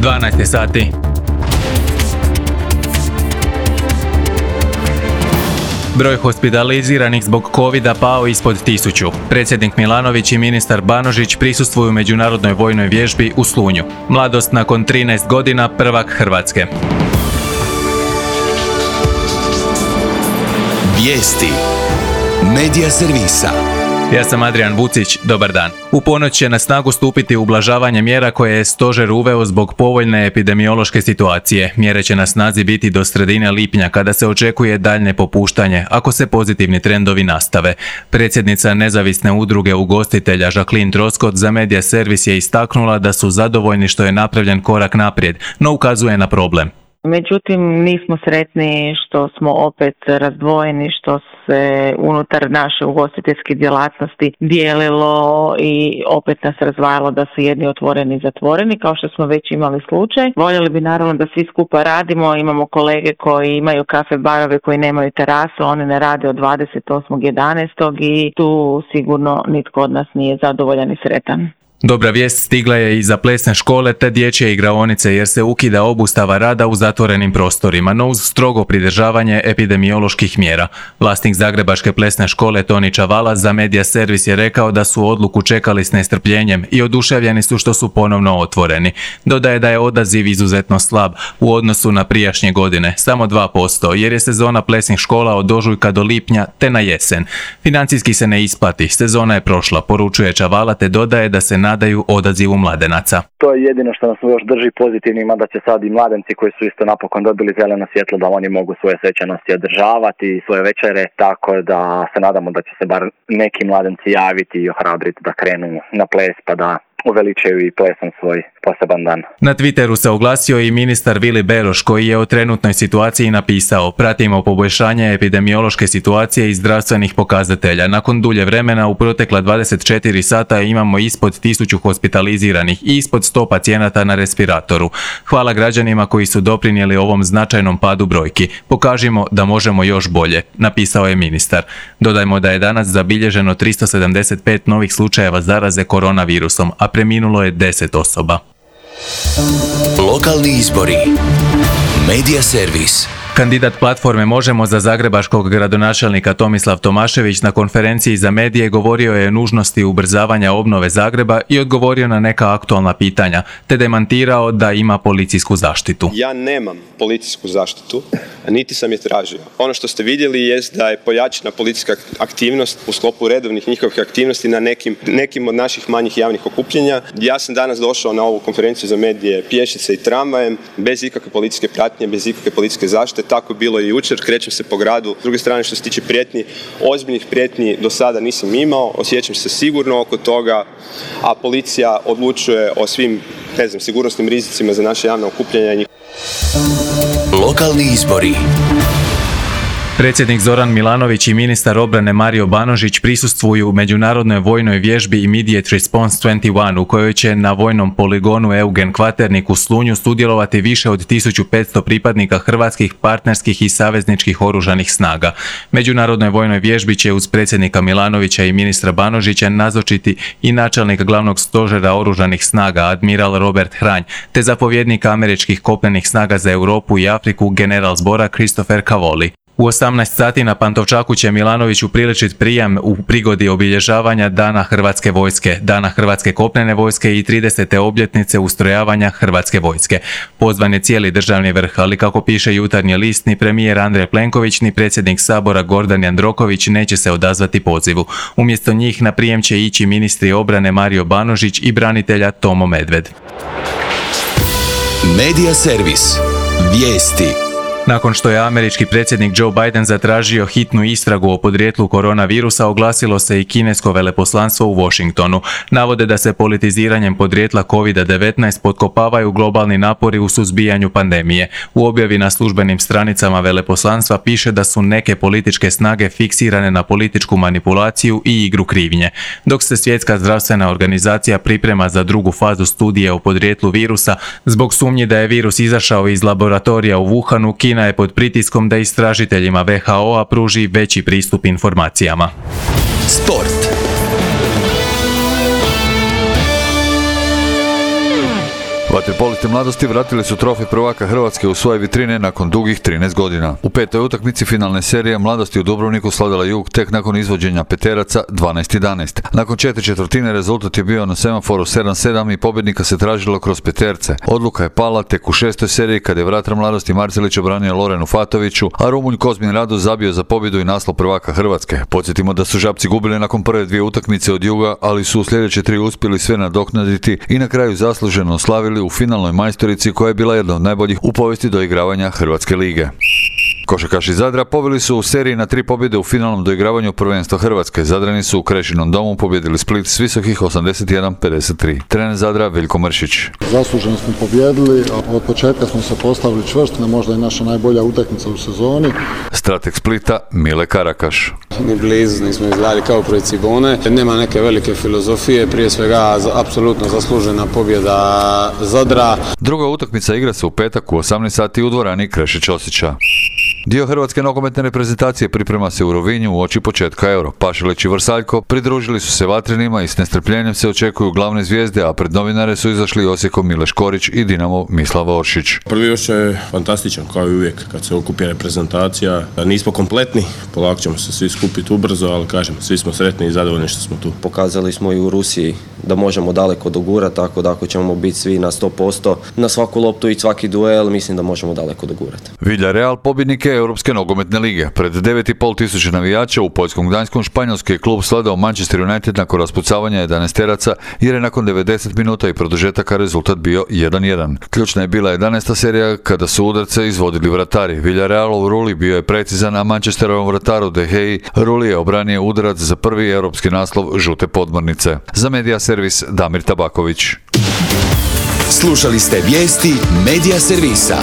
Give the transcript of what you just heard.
12 sati. Broj hospitaliziranih zbog covida pao ispod 1000. Predsjednik Milanović i ministar Banožić prisustvuju međunarodnoj vojnoj vježbi u Slunju. Mladost nakon 13 godina, prvak Hrvatske. Vijesti Medija servisa. Ja sam Adrian Vucić, dobar dan. U ponoć će na snagu stupiti ublažavanje mjera koje je stožer uveo zbog povoljne epidemiološke situacije. Mjere će na snazi biti do sredine lipnja kada se očekuje daljnje popuštanje, ako se pozitivni trendovi nastave. Predsjednica nezavisne udruge ugostitelja Jacqueline Troskot za Medija servis je istaknula da su zadovoljni što je napravljen korak naprijed, no ukazuje na problem. Međutim, nismo sretni što smo opet razdvojeni, što se unutar naše ugostiteljske djelatnosti dijelilo i opet nas razdvajalo da su jedni otvoreni i zatvoreni, kao što smo već imali slučaj. Voljeli bi naravno da svi skupa radimo, imamo kolege koji imaju kafe barove koji nemaju terasu, oni ne rade od 28.11. i tu sigurno nitko od nas nije zadovoljan i sretan. Dobra vijest stigla je i za plesne škole te dječje igraonice jer se ukida obustava rada u zatvorenim prostorima, no uz strogo pridržavanje epidemioloških mjera. Vlasnik Zagrebačke plesne škole Toni Čavala za Medija servis je rekao da su odluku čekali s nestrpljenjem i oduševljeni su što su ponovno otvoreni. Dodaje da je odaziv izuzetno slab u odnosu na prijašnje godine, samo 2%, jer je sezona plesnih škola od ožujka do lipnja te na jesen. Financijski se ne isplati, sezona je prošla, poručuje Čavala te dodaje da se nadaju odazivu mladenaca. To je jedino što nas još drži pozitivnima, da će sad i mladenci koji su isto napokon dobili zeleno svjetlo da oni mogu svoje svečanosti održavati i svoje večere, tako da se nadamo da će se bar neki mladenci javiti i ohrabriti da krenu na ples pa da uveličaju i plesom svoj poseban dan. Na Twitteru se oglasio i ministar Vili Beroš koji je o trenutnoj situaciji napisao: pratimo poboljšanje epidemiološke situacije i zdravstvenih pokazatelja. Nakon dulje vremena u protekla 24 sata imamo ispod 1000 hospitaliziranih i ispod 100 pacijenata na respiratoru. Hvala građanima koji su doprinijeli ovom značajnom padu brojki. Pokažimo da možemo još bolje, napisao je ministar. Dodajmo da je danas zabilježeno 375 novih slučajeva zaraze koronavirusom, a preminulo je 10 osoba. Lokalni izbori. Medija servis. Kandidat platforme Možemo za zagrebačkog gradonačelnika Tomislav Tomašević na konferenciji za medije govorio je o nužnosti ubrzavanja obnove Zagreba i odgovorio na neka aktualna pitanja, te demantirao da ima policijsku zaštitu. Ja nemam policijsku zaštitu, niti sam je tražio. Ono što ste vidjeli jest da je pojačana policijska aktivnost u sklopu redovnih njihovih aktivnosti na nekim od naših manjih javnih okupljenja. Ja sam danas došao na ovu konferenciju za medije pješice i tramvajem, bez ikakve policijske pratnje, bez ikakve policijske zaštite. Tako je bilo i jučer, krećem se po gradu. S druge strane, što se tiče prijetnji, ozbiljnih prijetnji do sada nisam imao, osjećam se sigurno oko toga, a policija odlučuje o svim, sigurnosnim rizicima za naše javne okupljanja. Lokalni izbori. Predsjednik Zoran Milanović i ministar obrane Mario Banožić prisustvuju u međunarodnoj vojnoj vježbi Immediate Response 21 u kojoj će na vojnom poligonu Eugen Kvaternik u Slunju sudjelovati više od 1500 pripadnika hrvatskih, partnerskih i savezničkih oružanih snaga. Međunarodnoj vojnoj vježbi će uz predsjednika Milanovića i ministra Banožića nazočiti i načelnik glavnog stožera oružanih snaga admiral Robert Hranj, te zapovjednik američkih kopnenih snaga za Europu i Afriku general zbora Christopher Cavoli. U 18 sati na Pantovčaku će Milanović upriličiti prijam u prigodi obilježavanja Dana Hrvatske vojske, Dana Hrvatske kopnene vojske i 30. obljetnice ustrojavanja Hrvatske vojske. Pozvan je cijeli državni vrh, ali kako piše Jutarnji list, ni premijer Andrej Plenković ni predsjednik Sabora Gordan Jandroković neće se odazvati pozivu. Umjesto njih na prijem će ići ministri obrane Mario Banožić i branitelja Tomo Medved. Medija servis. Vijesti. Nakon što je američki predsjednik Joe Biden zatražio hitnu istragu o podrijetlu koronavirusa, oglasilo se i kinesko veleposlanstvo u Washingtonu. Navode da se politiziranjem podrijetla COVID-19 potkopavaju globalni napori u suzbijanju pandemije. U objavi na službenim stranicama veleposlanstva piše da su neke političke snage fiksirane na političku manipulaciju i igru krivnje. Dok se Svjetska zdravstvena organizacija priprema za drugu fazu studije o podrijetlu virusa, zbog sumnji da je virus izašao iz laboratorija u Wuhanu, Kina je pod pritiskom da istražiteljima WHO-a pruži veći pristup informacijama. Sport. Vaterpolisti Mladosti vratili su trofej prvaka Hrvatske u svoje vitrine nakon dugih 13 godina. U petoj utakmici finalne serije Mladosti u Dubrovniku slavila Jug tek nakon izvođenja peteraca 12-11. Nakon 4/4 rezultat je bio na semaforu 7-7 i pobjednika se tražilo kroz peterce. Odluka je pala tek u šestoj seriji kad je vratar Mladosti Marcelić obranio Lorenu Fatoviću, a Rumunj Kozmin Rado zabio za pobjedu i naslov prvaka Hrvatske. Podsjetimo da su Žabci gubili nakon prve dvije utakmice od Juga, ali su u sljedeće tri uspjeli sve nadoknaditi i na kraju zasluženo oslavili u finalnoj majstorici koja je bila jedna od najboljih u povijesti doigravanja Hrvatske lige. Košarkaši Zadra pobjeli su u seriji na 3 pobjede u finalnom doigravanju prvenstva Hrvatske. Zadrani su u Krešinom domu pobjedili Split s visokih 81-53. Trener Zadra Veljko Mršić. Zasluženo smo pobjedili, a od početka smo se postavili čvrsto, možda i naša najbolja utakmica u sezoni. Strateg Splita Mile Karakaš. Ni blizu nismo izgledali kao protiv Cibone. Nema neke velike filozofije, prije svega apsolutno zaslužena pobjeda Zadra. Druga utakmica igra se u petak u 18 sati u dvorani Kreše Ćosića. Dio hrvatske nogometne reprezentacije priprema se u Rovinju uoči početka Euro. Pašalić i Vrsaljko pridružili su se Vatrenima i s nestrpljenjem se očekuju glavne zvijezde, a pred novinare su izašli Osijekom Mile Škorić i Dinamo Mislav Oršić. Prvi osjećaj je fantastičan, kao i uvijek kad se okupi reprezentacija. Nismo kompletni, polako ćemo se svi skupiti ubrzo, ali kažem, svi smo sretni i zadovoljni što smo tu. Pokazali smo i u Rusiji da možemo daleko dogurati, tako da ako ćemo biti svi na 100%, na svaku loptu i svaki duel, mislim da možemo daleko dogurati. Villarreal pobjednike Europske nogometne lige. Pred 9.500 navijača u poljskom Gdanskom španjolski klub sladao Manchester United nakon raspucavanja 11-teraca jer je nakon 90 minuta i produžetaka rezultat bio 1-1. Ključna je bila 11. serija kada su udarce izvodili vratari. Villarrealov Rulli bio je precizan, a Manchesterovom vrataru De Gea Rulli je obranio udarac za prvi europski naslov žute podmornice. Za Medija servis Damir Tabaković. Slušali ste vijesti Medija servisa.